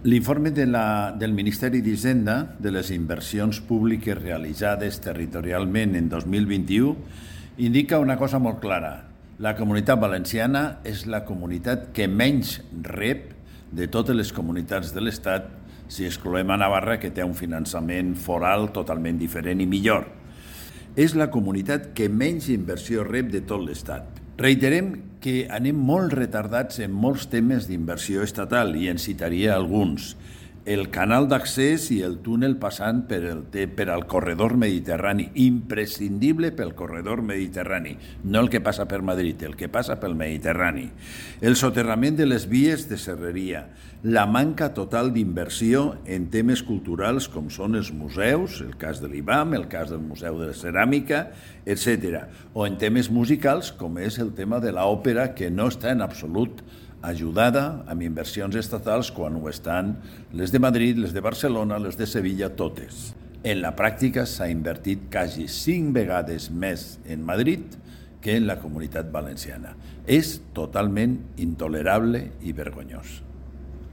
L'informe del Ministeri d'Hisenda de les inversions públiques realitzades territorialment en 2021 indica una cosa molt clara. La Comunitat Valenciana és la comunitat que menys rep de totes les comunitats de l'Estat, si excloem a Navarra, que té un finançament foral totalment diferent i millor. És la comunitat que menys inversió rep de tot l'Estat. Reiterem que anem molt retardats en molts temes d'inversió estatal i en citaria alguns. El canal d'accés i el túnel passant per al corredor mediterrani, imprescindible pel corredor mediterrani, no el que passa per Madrid, el que passa pel Mediterrani. El soterrament de les vies de serreria, la manca total d'inversió en temes culturals com són els museus, el cas de l'IBAM, el cas del Museu de la Ceràmica, etc. O en temes musicals com és el tema de l'òpera, que no està en absolut ajudada amb inversions estatals quan ho estan les de Madrid, les de Barcelona, les de Sevilla, totes. En la pràctica s'ha invertit quasi 5 vegades més en Madrid que en la Comunitat Valenciana. És totalment intolerable i vergonyós.